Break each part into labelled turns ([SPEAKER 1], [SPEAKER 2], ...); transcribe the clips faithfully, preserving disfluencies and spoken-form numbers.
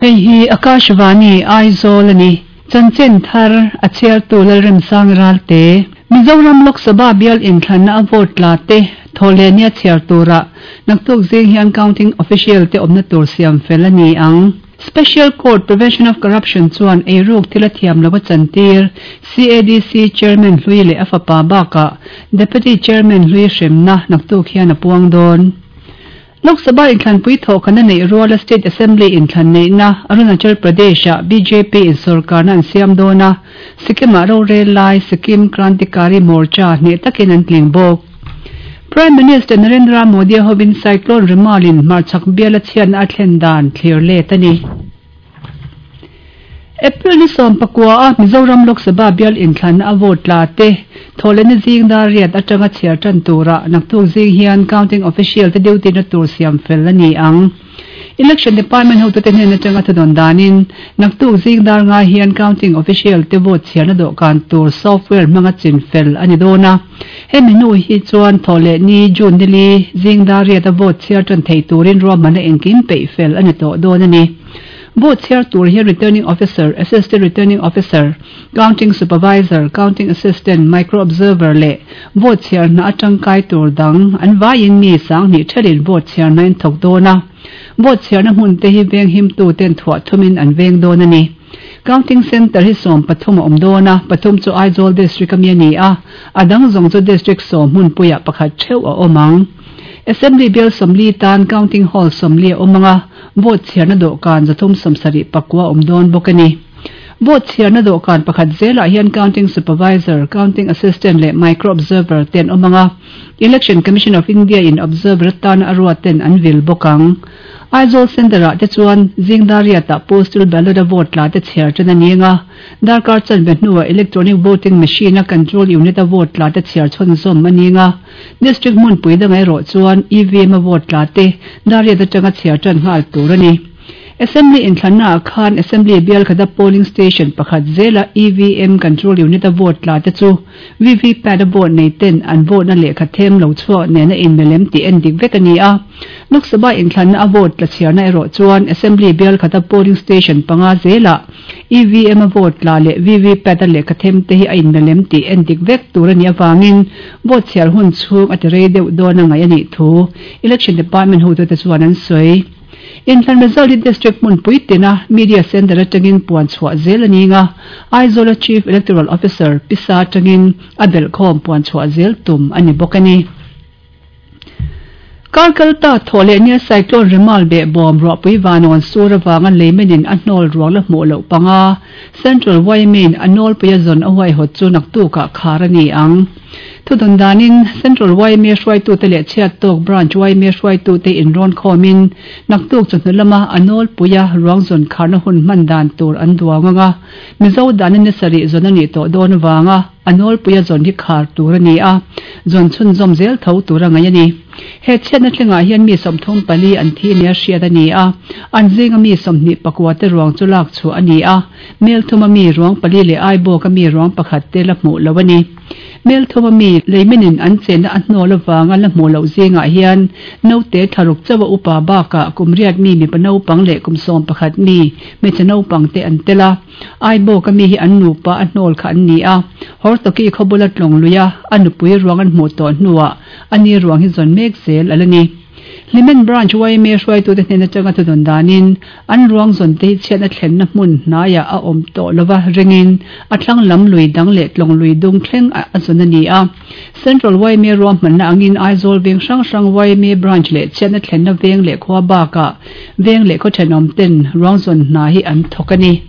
[SPEAKER 1] Hei hi Akashvani Aizawl a ni. Chanchin thar a chhiartu Lalremsang Ralte. Mizoram Lok Sabha bial inthlanna a vote tla te thawhlehnia chhiar tura naktuk zing hian counting official te awmna tur siam fel a ni ang. Special Court Prevention of Corruption chuan eiruk thil a thiam lo a chantir C A D C Chairman hlui leh a fapa bakah Deputy Chairman hlui hremna naktuk hian a puang dawn. Lok Sabha inthlanpui thawhkhana neih ruala State Assembly inthlan neihna Arunachal Pradesh-ah B J P in sorkarna an siam dawn a, Sikkim-ah rorel lai Sikkim Krantikari Morcha hneh takin an tling bawk. Prime Minister Narendra Modi hovin Cyclone Remal-in hmarchhak biala chhiatna a thlen dan thlir let a ni. April ni sawm pakua a Mizoram Lok Sabha bial inthlanna a vote tla te thawhlehni zing dar riat atanga chhiar tan tura naktuk zing hian counting official te duty na tur siam fel a ni ang. Election Department hotute hnen atanga thudawn danin naktuk zing dar nga hian counting official te vote chhiarna dawhkan tur software hmanga chin fel a ni dawn a. Hemi hnu hi chuan thawhlehni June nili zing dar riat a vote chhiar tan thei turin ruahmanna engkim peih fel a ni tawh dawn a ni. Vote chhiar tur hian returning officer, assistant returning officer, counting supervisor, counting assistant, micro observer leh vote chhiar hna atangkai tur dang an vaiin mi sanghnih thelin vote chhiar hna in thawk dawn a. Vote chhiarna hmun te hi veng him tu ten thuah thumin an veng dawn a ni. Counting center hi sawm pathum a awm dawn a, pathum chu Aizawl district ami a ni a, a dang zawng chu district sawm hmunpuiah pakhat theuh a awm ang. Assembly bial sawmli tan counting hall sawmli a awm anga, vote chhiarna dawhkan zathum sawmsarih pakua awm dawn bawk a ni. Vote chhiarna dawhkan pakhat zelah hian counting supervisor, counting assistant leh micro observer ten awm anga, Election Commission of India in observer atana a ruat ten an vil bawk ang. Aizawl Center ah te chuan zing dar riatah postal ballot a vote tla te chhiar tan a ni anga, darkar chanve hnuah electronic voting machine a control unit a vote tla te chhiar chhunzawm a ni anga, district hmunpui danga erawh chuan E V M a vote tla te dar riat atanga chhiar tan nghal tur a ni. Assembly inthlanna ah khan Assembly bial khata polling station pakhat zela E V M control unit a vote tla te chu V V PAT a vote nei ten an vote na lehkha them lo chhuak nena in melem tih en dik vek a ni a. Lok Sabha inthlanna a vote tla chhiarna erawh chuan Assembly bial khata polling station panga zela E V M a vote tla leh V V PAT a lehkha them te hi a in melem tih en dik vek tur a ni awangin vote chhiar hun chhung a ti rei deuh dawn a ngai a nih thu Election Department hotute chuan an sawi. Inthlan result hi district hmunpui tina media center atangin puan chhuah zel a ni nga, Aizawl Chief Electoral Officer pisa atangin a belhkhawm puan chhuah zel tum a ni bawk a ni. Karkalta thawhlehnia Cyclone Remal behbawm ruahpui vanawn sur awanga leimenin a hnawl ruang la hmuh loh panga Central Y M A a nawlpui a zawn a huaihawt chu naktukah khar a ni ang. Thudawn danin Central Y M A hruaitute leh chhiat tawk branch Y M A hruaitute inrawn khawmin naktuk chawhnu lama a nawlpui a ruang zawn kharna hun hman dan tur an duang anga, Mizo danin ni sarih zawn a nih tawh dawn awanga a nawlpui a zawn hi khar tur a ni a, zawn chhunzawm zel tho tur a ngai a ni. He chhiatna thlengah hian mi sawmthum pali an thi nia hriat a ni a, an zinga mi sawmhnih pakua te ruang chu lak chu a ni a, mel thuma mi ruang pali leh Aibawk a mi ruang pakhat te la hmuh lo a ni. Mel thuma mi leiminin an chenna a hnawl awanga la hmuh loh zingah hian naute thlaruk chawa upa bakah kum riat mi mipa naupang leh kum sawm pakhat mi hmeichhe naupang te an tel a. Aibawk a mi hi an nupa a hnawl kha an ni a, Hortoki khawbula tlawng luia a nupui ruang an hmuh tawh hnuah ani ruang hi zawn mek zel ala ni. Hlimen branch Y M A hruaitute hnen atanga thudawn danin an ruang zawn te hi chhiatna thlenna hmun hnaiah a awm tawh lova ringin a thlang lam lui dang leh tlawng lui dung thleng a zawn a ni a. Central Y M A ruahmanna angin Aizawl veng hrang hrang Y M A branch leh chhiatna thlenna veng leh khua bakah veng leh khaw thenawm ten ruang zawn hna hi an thawk a ni.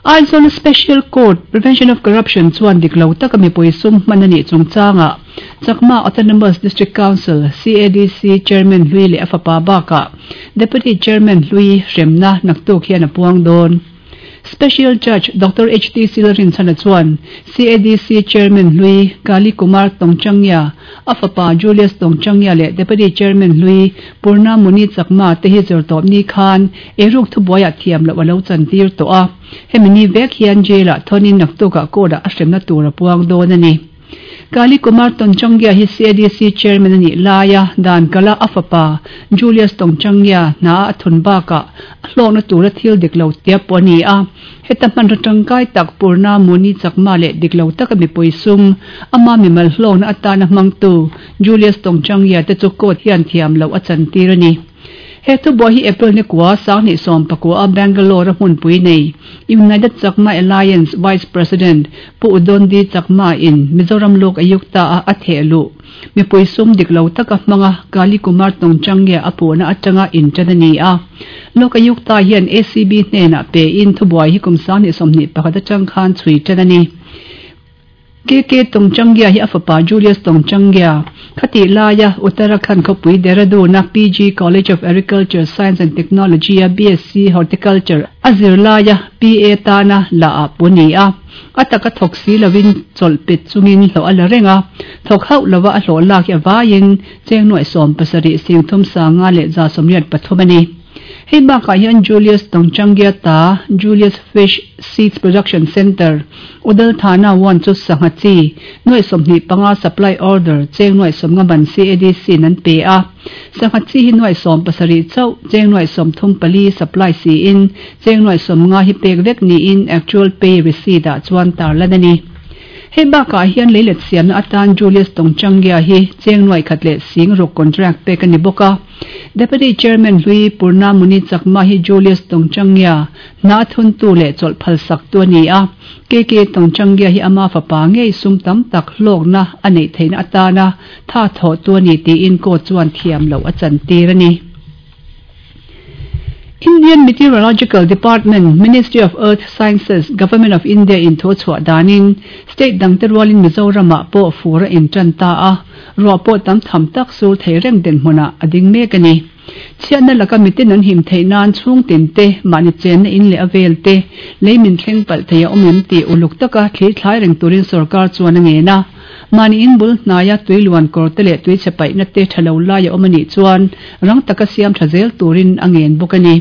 [SPEAKER 1] Aizawl Special Court Prevention of Corruption chuan dik lo taka mipui sum hman a nih chungchanga Chakma Autonomous District Council C A D C Chairman hlui leh a fapa bakah Deputy Chairman hlui hremna naktuk hian a puang dawn. Special Judge Doctor H T Silrinchana chuan C A D C Chairman hlui Kali Kumar Tongchangya, a fapa Julius Tongchangya leh Deputy Chairman hlui Purna Muni Chakma te hi zirtawp ni khan eiruk thubuaiah thiam loh a lo chantir tawh a. Hemi ni vek hian jail-ah thonin naktukah court-ah a hremna tur a puang dawn a ni. Kali Kumar Tanchangya hi C A D C Chairman ani laia dan kala afapa Julius Tanchangya na athun baka hlawna tura thil diklo tia poni a heta man tangkai tak Purna Muni Chakma le diklo tak mi poisum ama mi mal hlawna atana mangtu Julius Tanchangya te chu ko thian thiam lo achan tirani he thu bo hi April ni kwa sang ni som pakwa Bangalore hmun pui nei United Chakma Alliance Vice President Pu Udondi Chakma in Mizoram Lok Ayukta a athelu mi poisum diklo taka manga Kali Kumar Tanchangya apuna atanga in chanani a Lok Ayukta hian A C B hnena pe in thubuai hi kumsa ni somni pakhata changkhan chui chanani K K Tanchangya hi afapa Julius Tanchangya khati laya Uttarakhand khopui Dehradun na P G College of Agriculture Science and Technology a B S C Horticulture azir laya P A tana la a puni a ataka thoksi lawin cholpet chungin hlo ala renga thok hau lawa a hlo lak ya wain chengnoi som pasari singthum sanga le za somriat pathumani hei ba ka hian Julius Tanchangya ta Julius Fish Seeds Production Center Udal Thana one chu sangachi noi somni panga supply order cheng noi som nga ban C A D C nan pe a sangachi hi noi som pasari chau cheng noi som thum pali supply si in cheng noi som nga hi pek vek ni in actual pay receipt a chuan tar lanani hei ba ka hian leilet siam na atan Julius Tanchangya hi cheng noi khatle sing ro contract pe kan ni boka Deputy Chairman Hui Purna Muni Chakma hi Julius Tanchangya na thun tu le chol phal sak tu ni a K K Tanchangya hi ama fa pa nge sum tam tak hlok na anei theina atana tha tho tu ni ti in ko chuan thiam lo achan tir ani Indian Meteorological Department, Ministry of Earth Sciences, Government of India in Thochua danin, State dang terwalin Mizoram po fura in tanta a, ro po tam tham tak sur theireng den hmuna ading mek ani. Chian na laka mitin an him theinan chung tin te mani chen na in le avel te leimin thleng pal theia omem ti uluk taka thli thlai reng turin sarkar chuan ange na mani in bul hnaya tuiluan kor te le tui chepai na te thalo la ya omani chuan rang taka siam thazel turin angen bokani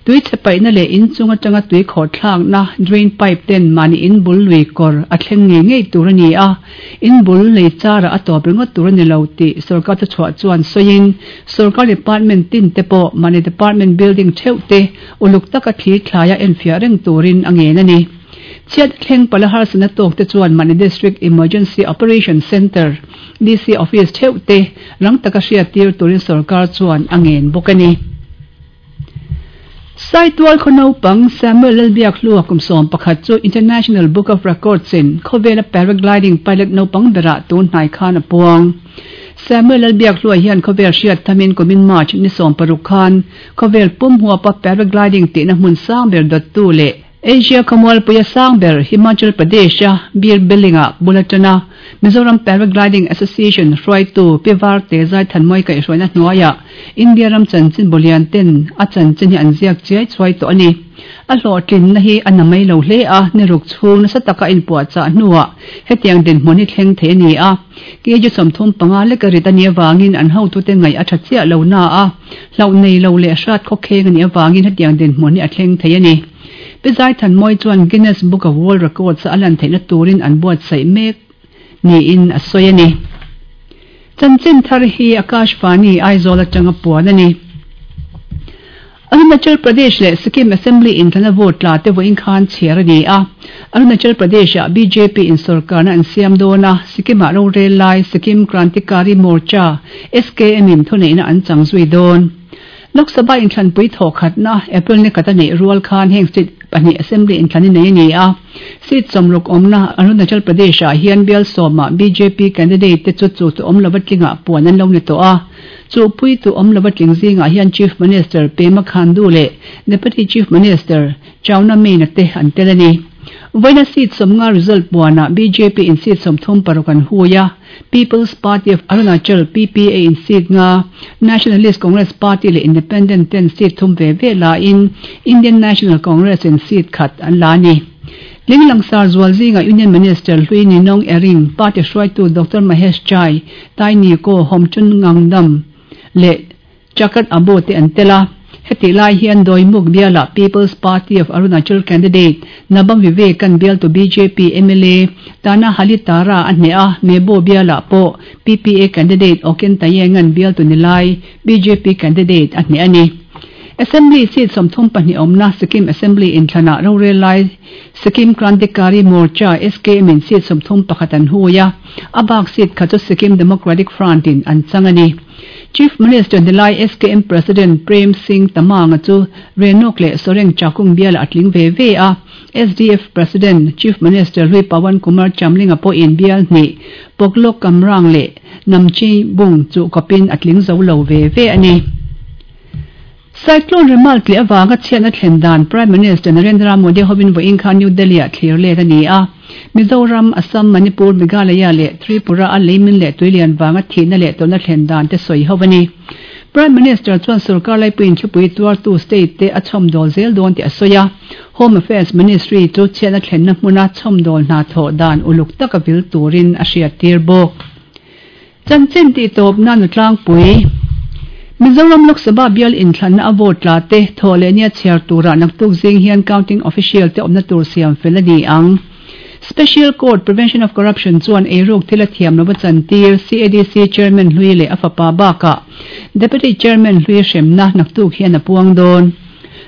[SPEAKER 1] tui chepai na le in chunga tanga tui khor thlang na drain pipe ten mani in bul lui kor a thleng nge ngei tur ani a in bul lei chara a top ringot tur ani lo ti sarkar ta chhuah chuan soin sarkar department tin te po mani department building theu te uluk taka thli thlaya en fia reng turin angen ani Chiat thleng palahar sana tok te chuan mani District Emergency Operation Center D C office theu te rang taka hria tir turin sarkar chuan angen bokani Saitual khonopang Samuel Lalbiak hlua kumsom pakhat chu International Book of Records in khowela paragliding pilot nopang bera tun hnai khan apuang Samuel Lalbiak hlua hian khowel hriat thamin kumin March ni som paruk khan khowel pum huapa paragliding ti na hmun sang ber dot tu le Asia Khamwal Puya Sangber Himachal Pradesh Bir Bilinga Bulatana Mizoram Paragliding Association Hruaitu Pivar te zai thanmoi kai hruaina hnuaia India ram chanchin bolian ten a chanchin hi an ziak chiai chuai to ani a hlawhtlin na hi a namai lo hle a ni ruk chhung nasa taka in puah chah hnuah hetiang dinhmun hi thleng thei ani a kg sawmthum panga leka rit ani awangin an hotu te ngaih a tha chiah lo na a hloh nei lo leh hrat khawkheng ani awangin hetiang dinhmun hi a thleng thei ani Pizai thanmoi chuan Guinness Book of World Records alan theihna turin an buat saih mek ni in a sawi ani chanchin thar hi Akashvani Aizawl atanga puan ani Arunachal Pradesh le Sikkim Assembly in thana vote la te voin khan chher ani a Arunachal Pradesh a B J P in sarkar na an siam dona Sikkim a ro rel lai Sikkim Krantikari Morcha S K M in thunei na an changzui don Lok Sabha in thlan pui tho khat na April ni kata nei rual khan heng state pahnih assembly in thlani nei ani a seat somruk omna Arunachal Pradesh a hian bial sawma B J P candidate te chu chu tu om lova tlinga puan an lo ni to a chu pui tu om lova tling zinga hian Chief Minister Pema Khandu le Deputy Chief Minister Chowna Mein te an tel ani Voina seat somnga result puana B J P in seat somthum paruk an huya People's Party of Arunachal P P A in seat nga Nationalist Congress Party le Independent ten seat thum ve ve la in Indian National Congress in seat khat an la ni Linglang sar zual zinga Union Minister Hlui Ninong Ering Party hruaitu Doctor Mahesh Chai Tai Ni Ko Homchun Ngangdam le Chakat Abo te an tela Heti lai hian Doimukh biala People's Party of Arunachal candidate Nabam Vivek-an bialtu B J P M L A Tana Halitara a hneh a, Mebo biala pawh P P A candidate Oken Tayeng-an bialtu nilai B J P candidate a hneh a ni. Assembly seat sawmthum pahnih awmna Sikkim Assembly inthlanah rorel lai Sikkim Krantikari Morcha S K M in seat sawmthum pakhat an hui a, a bak seat kha chu Sikkim Democratic Front in an chang a ni. Chief Minister nilai S K M President Prem Singh Tamang chu Renok leh Soreng Chakung biala a tling ve ve a. S D F President Chief Minister hlui Pawan Kumar Chamling a pawhin bial hnih Poklok Kamrang leh Namchi Bung chu kawpin a tling zo lo ve ve a ni. Cyclone Remal tleh awanga chhiatna thlen dan Prime Minister Narendra Modi hovin vawiin khan New Delhi ah thlir let a ni a. Mizoram, Assam, Manipur, Meghalaya leh Tripura a leimin leh tuilian wanga thihna leh tawrhna thlen dan te sawi ho a ni. Prime Minister chuan sarkar laipuiin thlipui tuartu state te a chhawmdawl zel dawn tih a sawi a. Home Affairs Ministry chu chhiatna thlenna hmuna chhawmdawl hna thawh dan uluk taka vil turin a hriattir bawk. Chanchin tih tawp nan tlangpui. Mizoram Lok Sabha bial inthlanna a vote tla te thawhlehnia chhiar turah naktuk zing hian counting official te awmna tur siam fel a ni ang. Special Court Prevention of Corruption chuan eiruk thil a thiam lova chantir C A D C Chairman hlui leh a fapa bakah Deputy Chairman hlui hremna naktuk hian a puang dawn.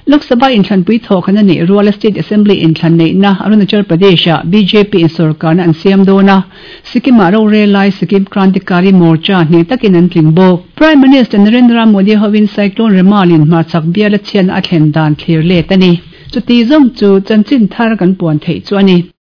[SPEAKER 1] Lok Sabha inthlanpui thawhkhana neih ruala State Assembly inthlan neihna Arunachal Pradesh ah B J P in sarkarna an siam dawn a, Sikkim ah rorel lai Sikkim Krantikari Morcha hneh takin an tling bawk. Prime Minister Narendra Modi hovin Cyclone Remal in hmarchhak biala chhiatna a thlen dan thlir let a ni. Chuti zawng chu chanchin thar kan puan theih chu a ni.